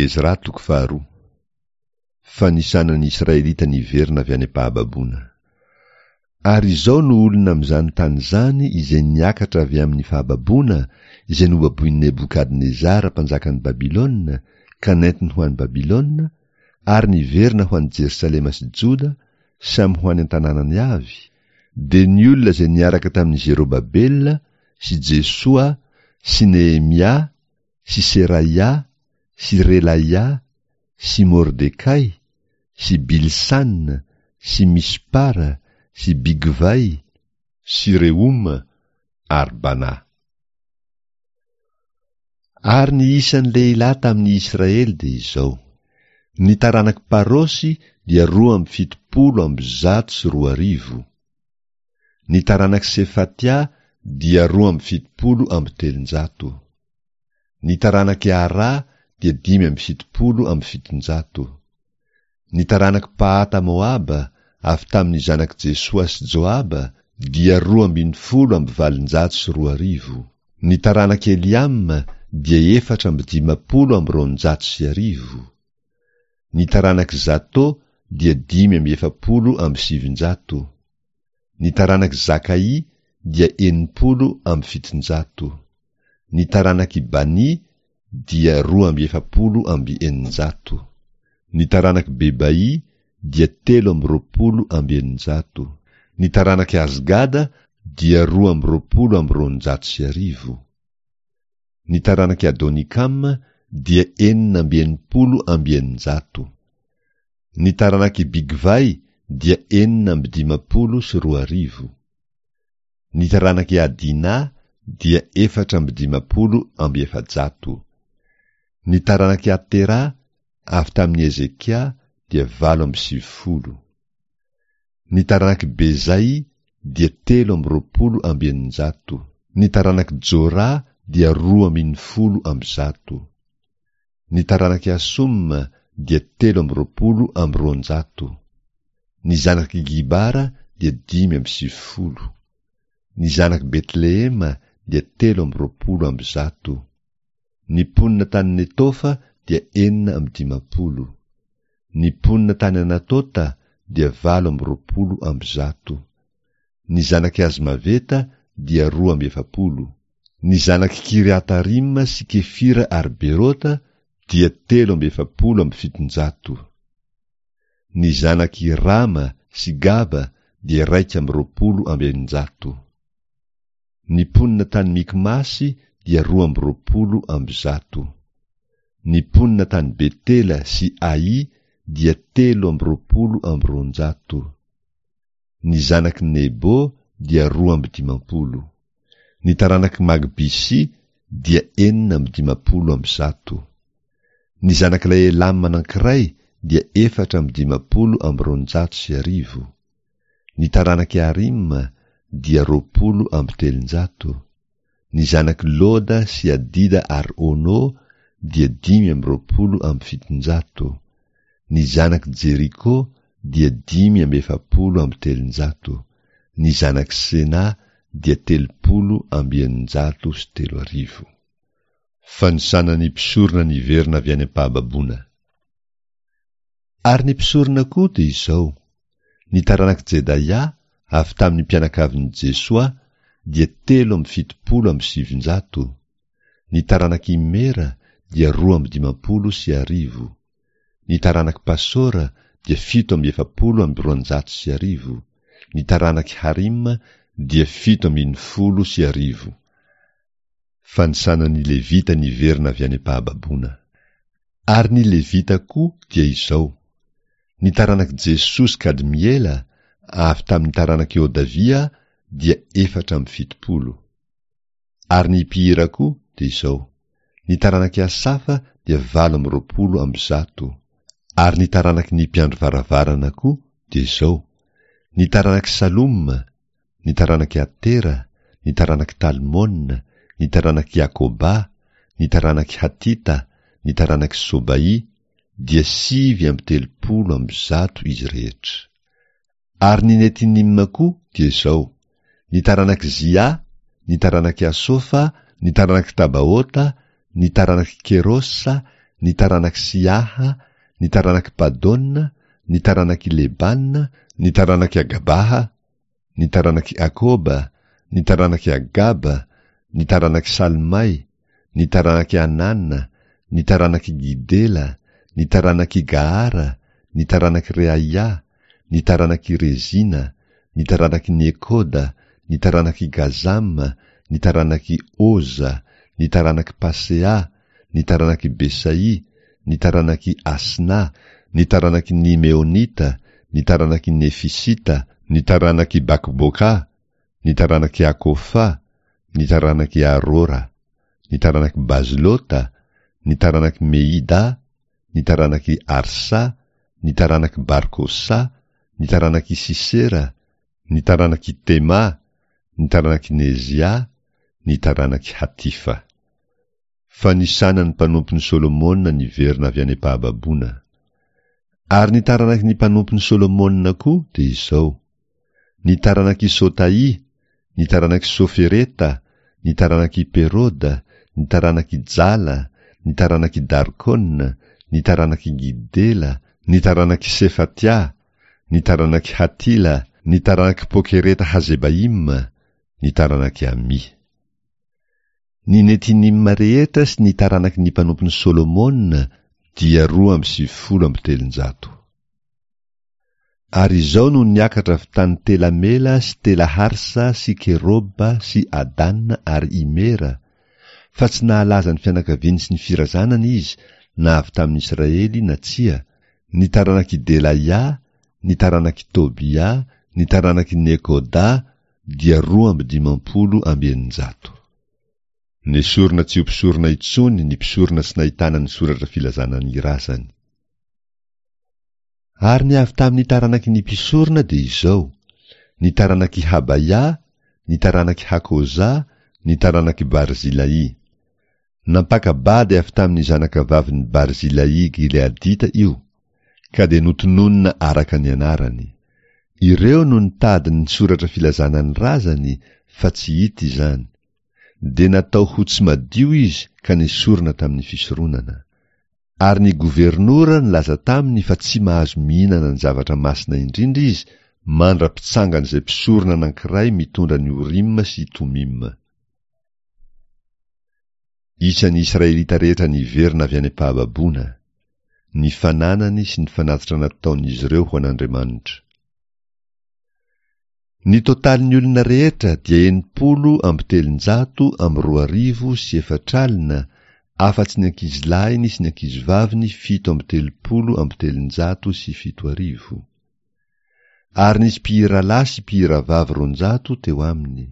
Ezra toko faharoa. Fanisana ny Israelita niverina avy any am-pahababoana. Ary izao no olona amin'izany tany izany izay niakatra avy amin'ny fahababoana izay nobaboin'i Nebokadnezara mpanjakan'i Babylona ka nentiny ho any Babylona, ary niverina ho any Jerosalema sy Joda, samy ho any an-tanànany avy, dia ny olona izay niaraka tamin'i Zerobabela sy Jesoa sy Nehemia sy Seraia sy Relaia sy Mordekay sy Bilsan sy Mispara sy Bigvay sy Rehoma ary Bana. Ary ny isan'ny lehilahy tamin'ny Israely dia izao, ny taranak'i Parosy dia 272, ny taranak'i Sefatia dia 372. Ny taranak'i Arà dia 775. Ny taranak'i Pahata Moaba, avy tamin'ny zanak'i Jesoa sy Joaba, dia 212. Ny taranak'i Eliama dia 254. Ny taranak'i Zato dia 945. Ny taranak'i Zakaỳ dia 760. Ny taranak'i Baný dia 642. Ny taranak'i Bebaỳ dia 623. Ny taranak'i Azgada dia 1222. Ny taranak'i Adonikama dia 666. Ny taranak'i Bigvay dia 2056. Ny taranak'i Adina dia 454. Ny taranak'i Atera avy tamin'i Hezekia dia 98. Ny taranak'i Bezay dia 623. Ny taranak'i Jora dia 112. Ny taranak'i Asoma dia 223. Ny zanak'i Gibara dia 95. Ny zanak'i Betlehema dia 123. Ny mponina tany Netofa dia 56. Ny mponina tany Anatota dia 128. Ny zanak'i Azmaveta dia 42. Ny zanak'i Kiriatarima sy Kefira ary Berota dia 743. Ny zanak'i Rama sy Gaba dia 621. Ny mponina tany Mikmasy dia 122. Ny mponina tany Betela sy Ai dia 223. Ny zanak'i Nebo dia 52. Ny taranak'i Magbisy dia 156. Ny zanak'ilay Elama anankiray dia 254. Ny taranak'i Arima dia 320. Ny zanak'i Loda sy Adida ary Ono dia 725. Ny zanak'i Jeriko dia 345. Ny zanak'i Sena dia 330. Fanisana ny mpisorona niverina avy any am-pahababoana. Ary ny mpisorona koa dia izao, ny taranak'i Jedaia avy tamin'ny mpianakavin'i Jesoa dia 973, ny taranak'i Imera dia 1052, ny taranak'i Pasora dia 247, ny taranak'i Harima dia 1017. Fanisana ny Levita niverina avy any am-pahababoana. Ary ny Levita koa dia izao, ny taranak'i Jesoa sy Kadmiela avy tamin'ny taranak'i Hodavia dia 74. Ary ny mpihira koa dia izao, ny taranak'i Asafa dia 128. Ary ny taranaky ny mpiandry varavarana koa dia izao, ny taranak'i Saloma, ny taranak'i Atera, ny taranak'i Talmona, ny taranak'i Jakoba, ny taranak'i Hatita, ny taranak'i Sobaỳ, dia 139 izy rehetra. Ary ny Netinima koa dia izao, ny taranak'i Zia, ny taranak'i Asofa, ny taranak'i Tabaota, ny taranak'i Kerosa, ny taranak'i Siaha, ny taranak'i Padona, ny taranak'i Lebana, ny taranak'i Agabaha, ny taranak'i Akoba, ny taranak'i Agaba, ny taranak'i Salmay, ny taranak'i Anana, ny taranak'i Gidela, ny taranak'i Gahara, ny taranak'i Reaia, ny taranak'i Rezina, ny taranak'i Nekoda, ny taranak'i Gazama, ny taranak'i Oza, ny taranak'i Pasea, ny taranak'i Besai, ny taranak'i Asna, ny taranaky ny Meonita, ny taranaky ny Nefisita, ny taranak'i Bakboka, ny taranak'i Akofa, ny taranak'i Arora, ny taranak'i Bazlota, ny taranak'i Mehida, ny taranak'i Arsa, ny taranak'i Barkosa, ny taranak'i Sisera, ny taranak'i Tema, ny taranak'i Nezia, ny taranak'i Hatifa. Fanisana ny mpanompon'i Solomona niverina avy any am-pahababoana. Ary ny taranaky ny mpanompon'i Solomona koa dia izao, ny taranak'i Sotaì, ny taranak'i Sofereta, ny taranak'i Peroda, ny taranak'i Jala, ny taranak'i Darkona, ny taranak'i Gidela, ny taranak'i Sefatia, ny taranak'i Hatila, ny taranak'i Pokereta Hazebaima, ny taranak'i Amì. Ny Netinima rehetra sy ny taranaky ny mpanompon'i Solomona dia 392. Ary izao no niakatra avy tany Tela-Mela sy Tela-Harsa sy Keroba sy Adana ary Imera, fa tsy nahalaza ny fianakaviany sy ny firazanany izy na avy tamin'ny Israely na tsia, ny taranak'i Delaia, ny taranak'i Tobia, ny taranak'i Nekoda, dia 652. Nesorina tsy ho mpisorona intsony ny mpisorona tsy nahitana ny soratra filazana ny razany. Ary ny avy tamin'ny taranaky ny mpisorona dia izao, ny taranak'i Habaia, ny taranak'i Hakoza, ny taranak'i Barzilai. Nampaka-bady avy tamin'ny zanakavavin'i Barzilai Gileadita io, ka dia notononina araka ny anarany. Ireo no nitady ny soratra filazana ny razany fa tsy hita izany. Dia natao ho tsy madio izy ka nesorina tamin'ny fisoronana. Ary ny governora nilaza taminy fa tsy mahazo mihinana ny zavatra masina indrindra izy mandra-pitsangan'izay mpisorona anankiray mitondra ny Orima sy Tomima. Isan'ny Israelita rehetra niverina avy any am-pahababoana, ny fananany sy ny fanatitra nataon'izy ireo ho an'Andriamanitra. Ny totalin'ny olona rehetra dia 360 340, afa-tsy ny ankizilahiny sy ny ankizivaviny 337. Ary nisy mpihiralahy sy mpihiravavy 200 teo aminy.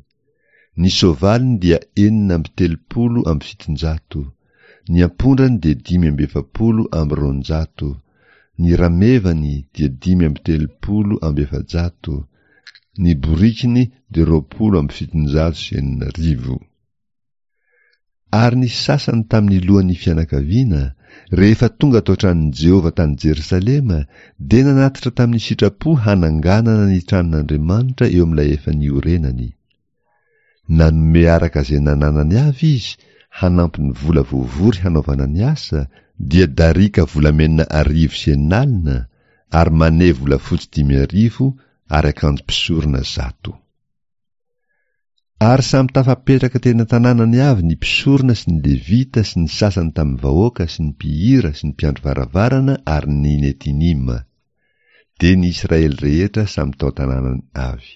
Ny soavaliny dia 736, ny ampondrany dia 245, ny ramevany dia 435, ny borikiny dia 620. Ary ny sasany tamin'ny lohan'ny fianakaviana, rehefa tonga tao an-tranon'i Jehovah tany Jerosalema, dia nanatitra tamin'ny sitrapo hananganana ny tranon'Andriamanitra eo amin'ilay efa niorenany. Nanome araka izay nananany avy izy hanampy ny vola voavory hanaovana ny asa, dia darika volamena 600, ary mane volafotsy 5000 ary akanjo mpisorona 100. Ary samy tafapetraka teny an-tanànany avy ny mpisorona sy ny Levita sy ny sasany tamin'ny vahoaka sy ny mpihira sy ny mpiandry varavarana ary ny Netinima. Dia ny Israely rehetra samy tao an-tanànany avy.